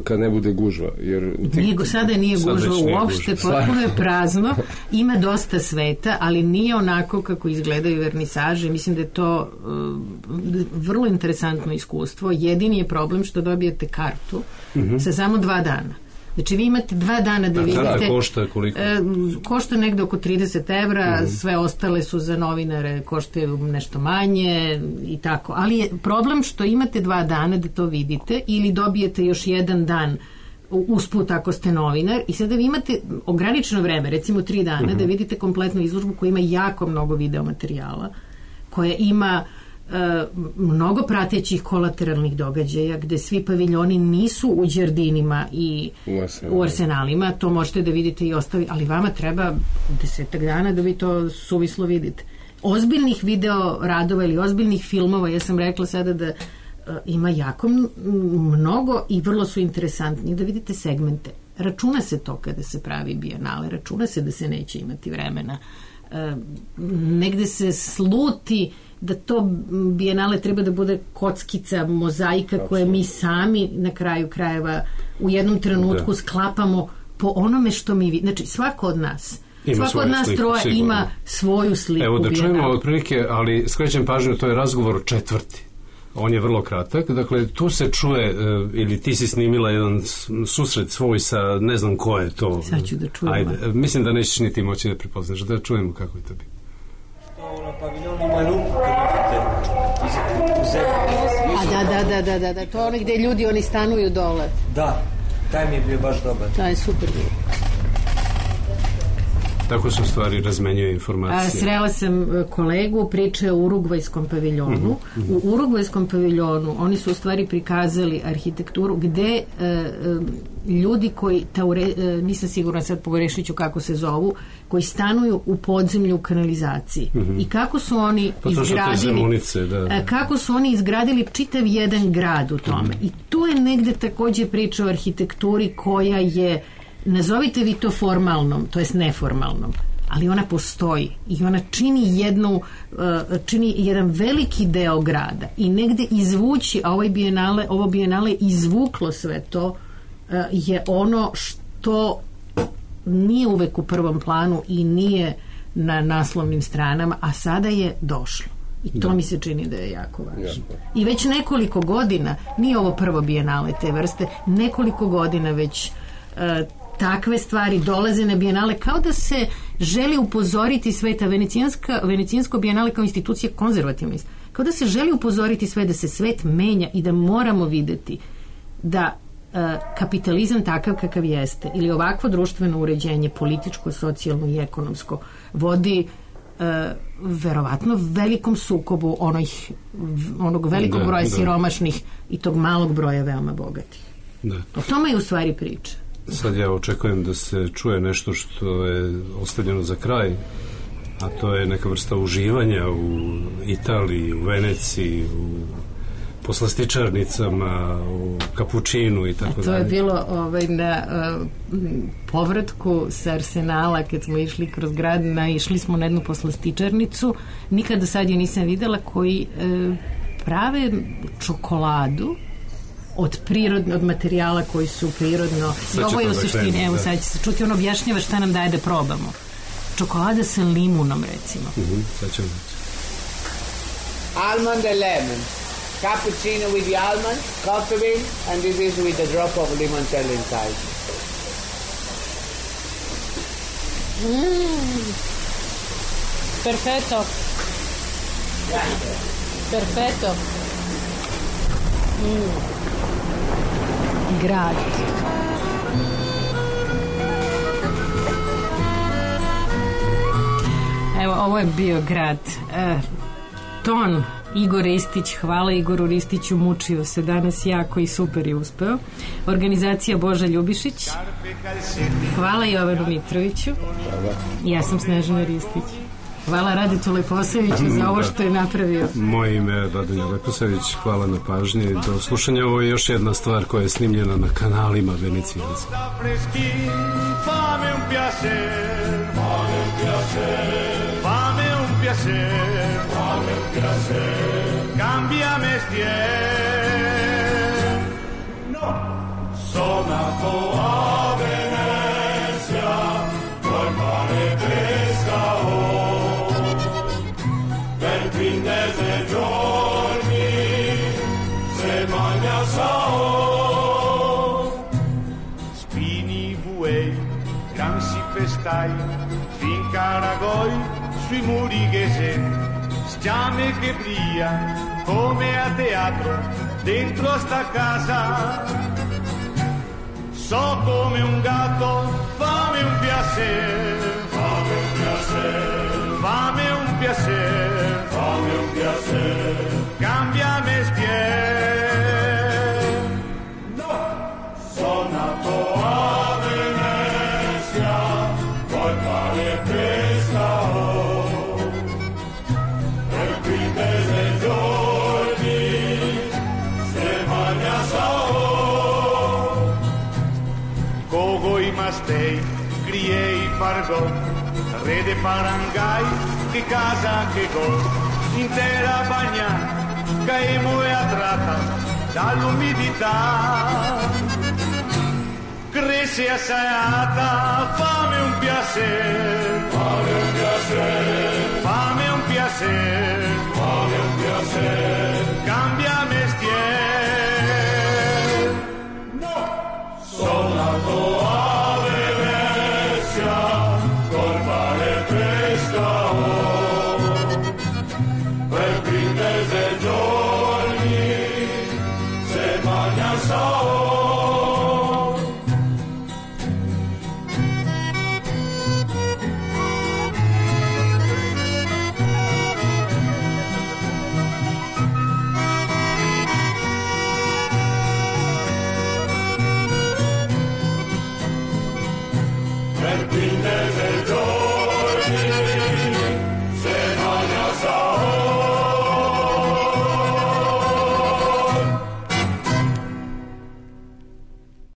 kad ne bude gužva. Jer ti... Nije, sada nije sada gužva uopšte, potpuno je prazno, ima dosta sveta, ali nije onako kako izgledaju vernisaže. Mislim da je to uh, vrlo interesantno iskustvo. Jedini je problem što dobijete kartu mm-hmm. sa samo dva dana. Znači vi imate dva dana da, da vidite... Da, košta koliko? E, košta negde oko trideset evra, mm-hmm. sve ostale su za novinare, koštaju nešto manje i tako. Ali je problem što imate dva dana da to vidite ili dobijete još jedan dan usput ako ste novinar i sada vi imate ograničeno vreme, recimo tri dana, mm-hmm. da vidite kompletnu izložbu koja ima jako mnogo videomaterijala, koja ima Uh, mnogo pratećih kolateralnih događaja gde svi paviljoni nisu u đardinima i u, u arsenalima, to možete da vidite i ostavi, ali vama treba desetak dana da vi to suvislo vidite. Ozbiljnih video radova ili ozbiljnih filmova, ja sam rekla sada da uh, ima jako mnogo i vrlo su interesantni, da vidite segmente. Računa se to kada se pravi Bijenale, računa se da se neće imati vremena. Uh, negde se sluti da to Bijenale treba da bude kockica, mozaika koje mi sami na kraju krajeva u jednom trenutku da. sklapamo po onome što mi vidimo. Znači svako od nas Ima svako od nas sliku, troje sigurno. Ima svoju sliku. Evo da čujemo otprilike, ali skrećem pažnju, to je razgovor četvrti. On je vrlo kratak, dakle tu se čuje, ili ti si snimila jedan susret svoj sa ne znam ko je to. Sad ću da čujem. Ajde, mislim da nećeš ni ti moći da prepoznaš, da čujemo kako je to bilo. A da, da, da, da, da, da, to je ono gde ljudi, oni stanuju dole. Da, taj mi je bio baš dobar. To je super bio. Tako su stvari razmenjuju informacije. A, srela sam kolegu, priča o Urugvajskom paviljonu. Mm-hmm. U Urugvajskom paviljonu oni su u stvari prikazali arhitekturu gde e, e, ljudi koji, taure, e, nisam sigurna sad pogrešit ću kako se zovu, koji stanuju u podzemlju u kanalizaciji. Mm-hmm. I kako su oni pa izgradili su zemunice, da, da. kako su oni izgradili čitav jedan grad u tome. Mm-hmm. I tu je negde takođe priča o arhitekturi koja je, nazovite vi to formalnom, to jest neformalnom, ali ona postoji i ona čini jednu, uh, čini jedan veliki deo grada i negde izvući, a ovaj bijenale, ovo bijenale izvuklo sve to, uh, je ono što nije uvek u prvom planu i nije na naslovnim stranama, a sada je došlo. I to da. mi se čini da je jako važno. Ja. I već nekoliko godina, nije ovo prvo bijenale te vrste, nekoliko godina već uh, takve stvari dolaze na bijenale kao da se želi upozoriti sveta. Venecijanska, Venecijansko bijenale kao institucija konzervativna, kao da se želi upozoriti sve da se svet menja i da moramo videti da uh, kapitalizam takav kakav jeste ili ovakvo društveno uređenje, političko, socijalno i ekonomsko vodi uh, verovatno velikom sukobu onih, onog velikog da, broja da. siromašnih i tog malog broja veoma bogatih. Da. O tome je u stvari priča. Sad ja očekujem da se čuje nešto što je ostavljeno za kraj, a to je neka vrsta uživanja u Italiji, u Veneciji, u poslastičarnicama, u kapučinu i tako dalje. To je bilo ovaj, na uh, povratku sa Arsenala kad smo išli kroz grad, naišli smo na jednu poslastičarnicu, nikada sad je nisam videla, koji uh, prave čokoladu od prirodno, od materijala koji su prirodno. I ovo je u suštini, evo sad će se čuti, on objašnjava šta nam daje da probamo. Čokolada sa limunom, recimo. Uh-huh, sad ćemo reći. Almond and lemon. Cappuccino with the almond, coffee bean, and this is with a drop of limoncello inside. Mm. Perfetto. Perfetto. Mm. Grad. Evo, ovo je bio grad. E, ton Igor Ristić, hvala Igoru Ristiću, mučio se danas jako i super je uspeo. Organizacija Boža Ljubišić. Hvala Jovanu Mitroviću. Ja sam Snežana Ristić. Hvala Radetu Leposaviću za ovo što je napravio. Moje ime je Radomir Leposavić, hvala na pažnji. Do slušanja, ovo je još jedna stvar koja je snimljena na kanalima Venecijanca. Fame un piacer, fame un piacer, fame un piacer, fame un piacer, cambia mestier. No, sonato a Venezia, vuoi fare pesca quindici giorni se magna sao spini buei camsi festai fin caragoi sui muri che se stiame che brilla come a teatro dentro a sta casa so come un gatto fammi un piacere fammi un piacere fammi un piacere fammi un piacere cambia mestiere no sono nato a Venezia poi fare pesca per quindici giorni se magna sao cogo i mastei criei pargò rede parangai che casa che go intera bagna caemo e attratta dall'umidità cresce assaiata fame un piacere fame un piacere fame un piacere fame un piacere cambiami we never go.